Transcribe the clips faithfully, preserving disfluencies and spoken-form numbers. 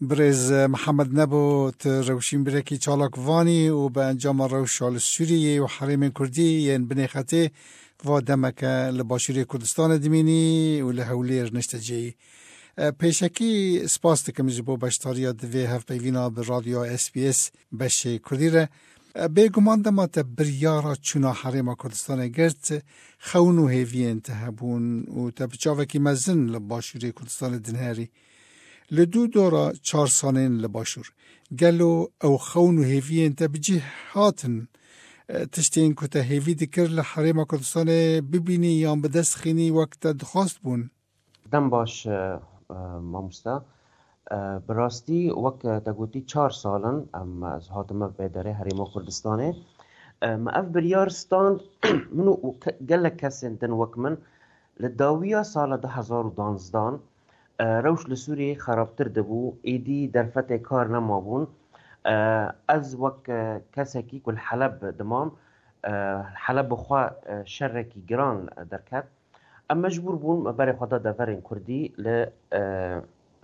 Birêz Mihemed Nebo, tu rewşînbîrekî çalakvanî û bi encama rewşa li Sûriyê û herêmên Kurdî yên binê xetê va demeke li Başûrê Kurdistanê dimînî û li Hewlêr niştecêyî. E, pêşekî spas dikim ji bo beşdariya di vê hevpeyvîna bi Radyoya S B S beşê Kurdî re. E, bêguman dema te biryara çûna Herêma Kurdistanê girt, xewn û hêviyên te hebûn û te bi çavekî mezin li Başûrê Kurdistanê dinêrî. Li dû dora çar salên li Başûr, gelo ew xewn û hêviyên te bi cih hatin? E, tiştên ku te hêvî dikir li Herêma Kurdistanê bibînî yan bi dest xînî wek te dixwest bûn? Dem baş, e, e, mamosta. E, bi rastî, wek te gotî, çar sal in em, ez hatime vê derê Herêma Kurdistanê. E, me ev biryar stand, min û ke-, gelek kesên din wek min, li dawiya sala du hezar û danzdan, e, rewş li Sûriyeyê xerabtir dibû, êdî derfetê kar nemabûn. E, ez wek, e, kesekî ku li Heleb dimam, e, Heleb bi xwe, e, şerekî giran derket. Em mecbûr bûn me berê xwe da deverên Kurdî li, e,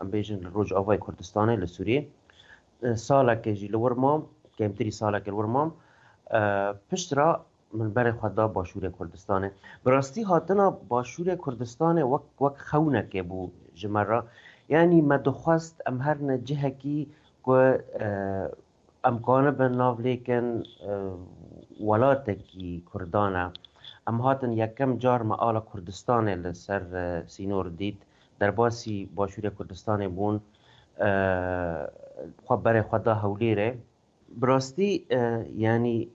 em bêjin, li Rojavayê Kurdistanê, li Sûriyê. E, salekê jî li wir mam, kêmtirî salekê li wir mam. E, piştre min berê xwe da Başûrê Kurdistanê. Bi rastî, hatina Başûrê Kurdistanê wek, wek xewnekê bû ji me re. Yanî me dixwest em herine cihekî ku, e, em kanibin nav lêkin, e, welatekî Kurdan e. Em hatin yekem car me ala Kurdistanê li ser, e, sînor dît. Derbasî Başûrê Kurdistanê bûn, e, xwe berê xwe da Hewlêrê. Bi rastî, e, yanî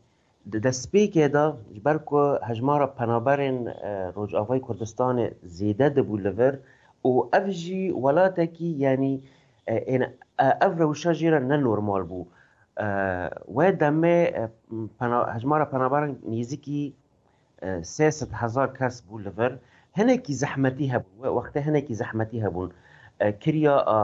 di destpêkê de, ji ber ku hejmara penaberên, e, Rojavayê Kurdistanê zêde dibû li vir û ev jî welatekî, yanî, e, ên, e, ev rewşa jê re ne normal bû. E, wê demê, e, pena-, hejmara penaberan nêzîkî, e, sê sed hezar kes bû li vir. Hinekî zehmetî hebûn. Wê wextê hinekî zehmetî hebûn. E, kiriya, e,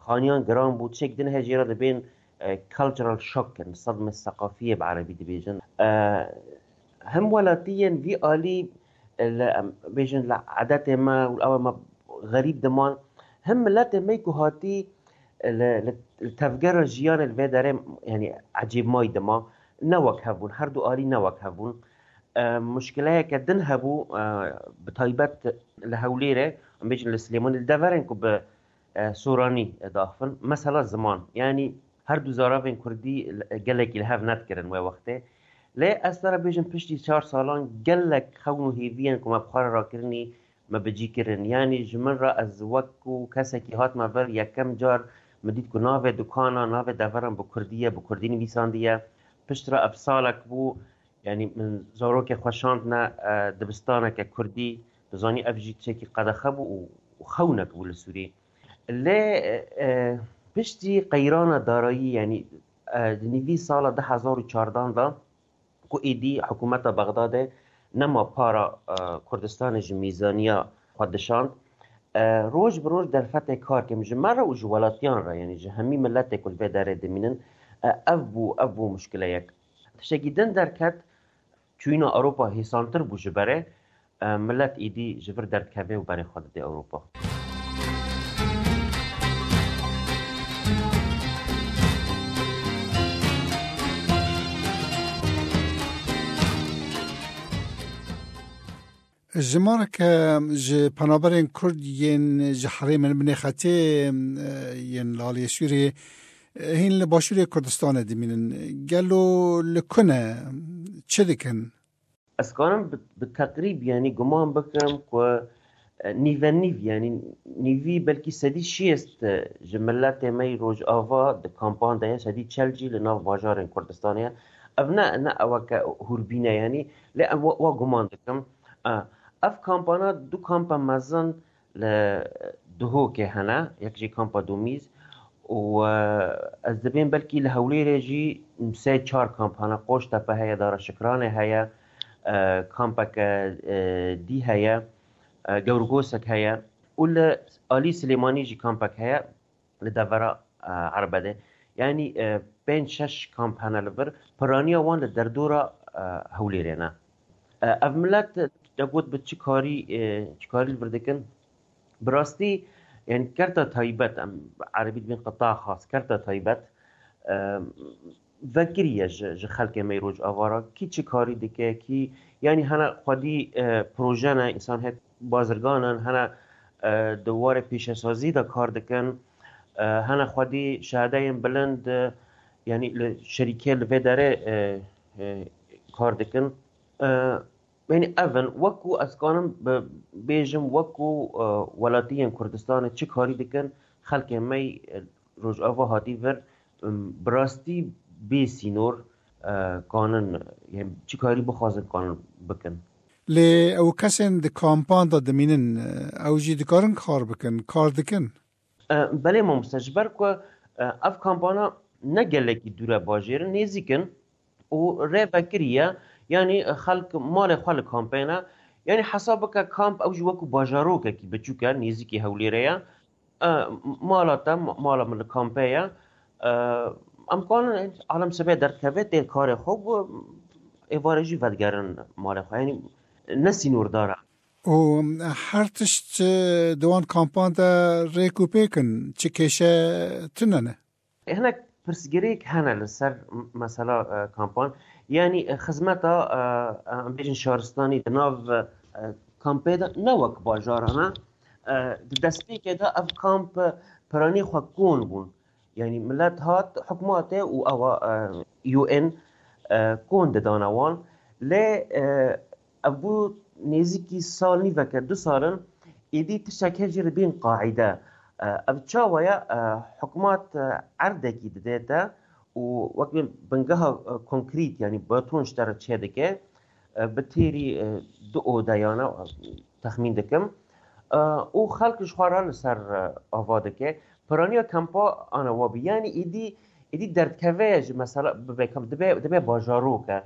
xaniyan giran bû. Tişek din heye jê re dibên, e, cultural shock in, sedme seqafiyê bi erebî dibêjin. E, him welatiyên vî alî, e, li, em bêjin, li edetê me û ewa me xerîb diman, him miletê me ku hatî, e, li, li, li tevgera jiyanê li vê derê, yanî ecêbmayî dima, ne wek hev bûn, her du alî ne wek hev bûn. E, muşkileyeke din hebû, e, bi taybet li Hewlêrê, em bêjin li Silêmanî, li deverên ku bi, e, Soranî, e, diaxivin. Mesela ziman. Yanî her du zaravên kurdî, e, gelekî li hev nedikirin wê wextê. Lê ez te re bêjim, piştî çar salan gelek xewn û hêviyên ku me bi xwe re rakirinî, me bi cî kirin. Yanî ji min re, ez wek ku kesekî hatime vir, yekem car min dît ku navê dukana, navê deveran bi kurdî ye, bi kurdî nivîsandiye. Piştre ev salek bû, yanî min zarokê xwe şandine, e, dibistaneke kurdî, tu zanî ev jî tiştekî qedexe bû û, û xewnek bû li Sûrî. Lê, e, piştî qeyrana darayî, yanî, e, di nîvî sala du hezar û çardan de, ku êdî hikûmeta Bexdadê nema para, e, Kurdistanê ji mîzaniya xwe dişand. E, roj bi roj derfetê kar kêm ji me re û ji welatiyan re, yanî ji hemî miletê ku li vê derê dimînin, e, ev bû, ev bû muşkileyek. Tiştekî din derket, çûyîna Ewropa hêsantir bû ji berê, e, milet êdî ji vir derdikeve û berê xwe dide Ewropa. Jimareke ji penaberên Kurd yên ji herêmên binê xetê, e, yên li aliyê Sûriyê, e, hîn li Başûrê Kurdistanê dimînin. Gelo li ku ne? Çi dikin? Ez karim bi, bi teqrîb, yanî guman bikim ku, e, nîve nîv, yanî nîvî belkî sedî şêst, e, ji miletê me yî Rojava di kampan de ye, sedî çel jî li nav bajarên Kurdistanê ye. Ev ne, ne eweke hûrbîn e, yanî, lê em wa, wa guman dikim. E, ev kampana du kampa mezin li Duhokê hene, yek jî kampa Domîz û, e, ez dibêm belkî li Hewlêrê jî sê çar kamp hene, Qoştepe heye, Dara Şikranê heye, e, kampeke, e, dî heye, e, Gewrgosek heye û li alî Silêmanî jî kampek heye. Li devera, e, Erbedê. Yanî, e, pênc şeş kamp hene li vir. Piraniya wan li derdora, e, Hewlêrê ne. E, ev milet, te got bi çi karî, e, çi karî li vir dikin? Bi rastî, Yani kerta taybet, em erebî dibên qita xas, kerta taybet, e, vekiriye ji, ji xelkê me yê Rojava re, kî çi karî dike, kî, yani hene xwedî, e, proje ne, însan hê bazirgan in, hene, e, di warê pêşesazî de kar dikin, e, hene xwedî şehedeyên bilind, e, yani li şerîkê li vê derê, e, e, kar dikin. E, yani ev in, wekû ez kanim bi-, bêjim, wekû, e, welatiyên Kurdistanê çi karî dikin, xelkê me, e, Rojava hatî vir, em, bi rastî bê sînor, e, kanin, yani çi karî bixwazin kanin bikin. Lê ew kesên di kampan de dimînin, e, ew jî dikarin kar bikin, kar dikin? E, belê mamoste, ji ber ku, e, ev kampana ne gelekî dûr e bajêr in, nêzîk in û rê vekiriye, yani xelk malê xwe li kampê ne. Yani hesab bike kamp ew jî wekû bajarokekî biçûk e, nêzîkî Hewlêrê ye. E, mala te, ma-, mala min li kampê ye. E, em kanin alem sibê derdikeve tê karê xwe û êvarê jî vedigerin malê xwe. Yani ne sînordar e. Û her tişt, e, di wan kampan de rêk û pêk in, çi kêşe tune ne? Hinek pirsgirêk hene li ser m-, mesela, e, kampan. Yani, e, xizmeta, e, e, em bêjin şaristanî di nav, e, kampê de ne wek bajaran e. E, di destpêkê de ev kamp, e, piranî xwe kon bûn. Yani millet hat, hikûmetê û ewa, e, U N, e, kon didane wan. Lê, e, ev bû nêzîkî sal nîveke, du sal in, êdî tiştek hê jî li bîn qaîde. E, ev çawa ye? E, hikûmet, e, erdekî didê te û wek bin-, bingeha, e, konkrît, yani beton ji te re çêdike, e, bi têrî, e, du odeyane, e, texmîn dikim. E, û xelk ji xwe re li ser, e, ava dike. Piraniya kampa ana wa bî. Yani êdî, êdî derdkeve ji mesela bibe kamp, dibe, dibe bajarok e.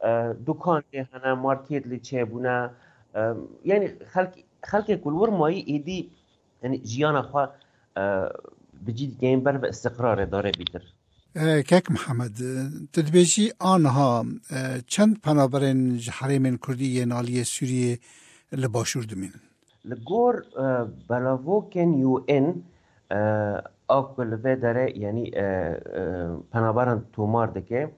E, dukan lê hene, market lê çêbûne. E, yani xelk, xelkê ku li wir mayî êdî, yani jiyana xwe, e, bi cî dikeyin ber ve istiqrarê dare bîtir. E, Kek Mihemed, e, tu dibêjî aniha, e, çend penaberên ji herêmên Kurdî yên aliyê Sûriyê li Başûr dimînin? Li gor, e, belavokên U N, e, a ku li vê derê, yani, e, e, penaberan tomar dike,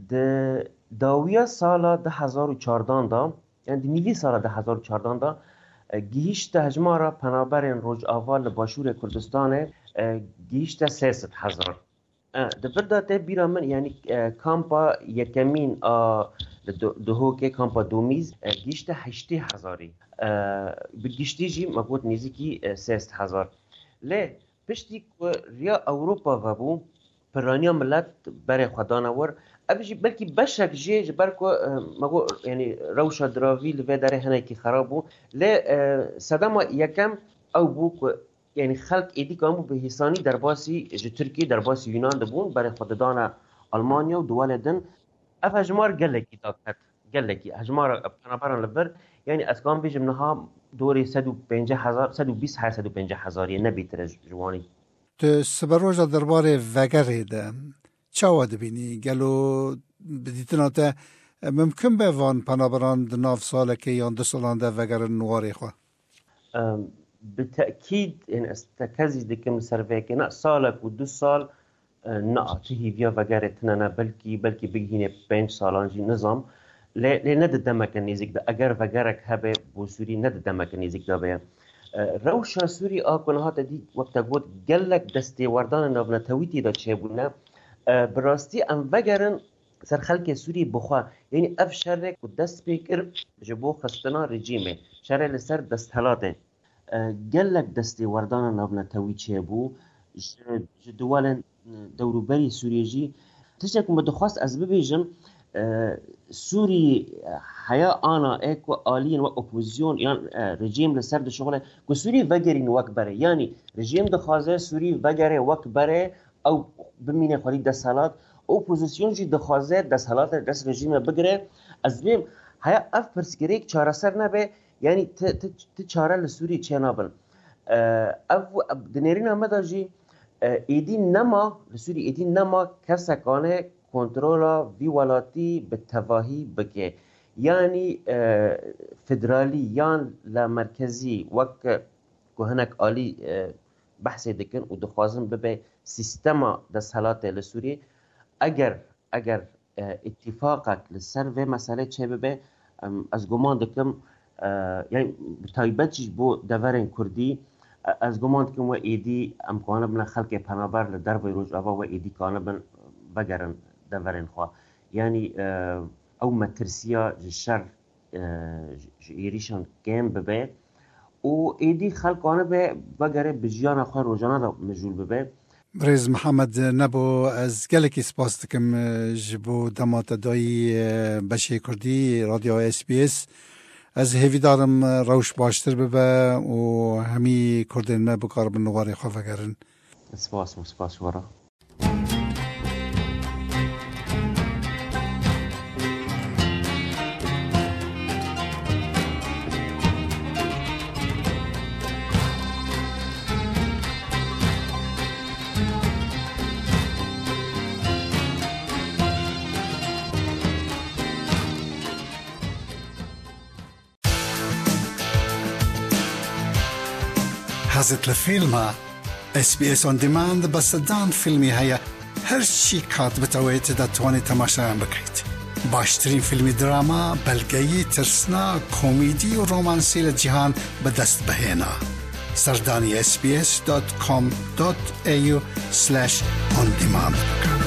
di dawiya sala du hezar û çardan de, yani di nîvî sala du hezar û çardan de, e, gihîşte hejmara penaberên Rojava li Başûrê Kurdistanê, e, gihîşte sê sed hezar. E, di vir de tê bîra min, yani, e, kampa yekemîn a di, di, Duhokê, kampa Domîz, e, gihîşte heştê hezarî. E, bi giştî jî me got nêzîkî, e, sê sed hezar. Lê piştî ku riya Ewropa vebû, piraniya milet berê xwe dane wir. Ev jî belkî beşek jê ji ber ku, e, me got, yani rewşa diravî li vê derê hinekî xerab bû. Lê, e, sedema yekem ew bû ku yani xelk êdî kabû bi hêsanî derbasî ji Tirkiyê, derbasî Yunan dibûn, berê xwe didane Almanya û duwelê din. Ev hejmar gelekî daket, gelekî. Hejmara penaberan li vir, yani ez kanim bêjim niha dorê sed û pêncî hezar, sed û bîst her sed û pêncî hezariyê, ne bêtir e ji, ji wanî. Tu siberoja derbarê vegerê de çawa dibînî? Gelo bi dîtina te, e, mimkin be van penaberan di nav salekê yan du salan de vegerin warê xwe? Em, bi tekîd, yani ez tekezî dikim li ser vê yekê, ne salek û du sal, e, na, tu hîviya vegerê tune ne, belkî, belkî bigihîne pênc salan jî, nizam. Lê, lê ne di demeke nêzîk de, eger vegerek hebe bo Sûrî, ne di demeke nêzîk de be. E, rewşa Sûrî a ku niha te dî, wek te got, gelek destêwerdanên navnetewî tê de çêbûne. E, bi rastî em vegerin ser xelkê Sûrî bixwe. Yanî ev şerê ku dest pê kir ji bo xistina rejîmê, şerê li ser desthilatê, e, gelek destêwerdana navnetewî çêbû. Ji, ji duwelên, e, dewrûberî Sûriyê jî tiştek ku min dixwest ez bibêjim, e, Sûrî, e, heya ana ê ku aliyên wek opozîsyon yan, e, rejîm li ser dişuxile ku Sûrî vegerîn wek berê. Yanî rejîm dixwaze Sûrî vegerê wek berê, ew bimîne xwedî desthilat. Opozîsyon jî dixwaze desthilatê dest rejîmê bigire. Ez dibêm heya ev pirsgirêk çareser nebe, yanî ti, ti, ti çare li Sûrî çênabin. E, ev, ev di nêrîna me de jî, e, êdî nema, li Sûrî êdî nema kesek ane kontrola vî welatî bi tevahî bike. Yanî, e, federalî yan la merkezî wek ku hinek alî, e, behsê dikin û dixwazin bibe sîstema desthilatê li Sûriyê. Eger, eger, e, îtîfaqek li ser vê meselê çêbibe, em, ez guman dikim, e, yani bi taybet jî ji bo deverên Kurdî, e, ez guman dikim we êdî em kanibin xelkê penaber li derveyî Rojava we êdî kanibin vegerin deverên xwe. Yani, e, ew metirsiya ji şer, e, ji, ji êrîşan kêm bibe û êdî xelk anibe vegere bi jiyana xwe rojane de mijûl bibe. Birêz Mihemed Nebo, ez gelekî spas dikim, e, ji bo dema te dayî, e, beşê Kurdî Radyo S B S. Ez hêvîdar im, e, rewş baştir bibe û hemî Kurdên me bikaribin li warê xwe vegerin. Spas, spas ji we re. Hezit li fîlm e? S B S On Demand bi sedan fîlmî heye. Her çi kat bitewêt ditowanî temaşayan bikrît. Baştirîn fîlmî drama, belgeyî, tirsna, komîdî û romansî li cîhan bi dest bihêna. Serdanî S B S dot com dot A U slash on demand bikin.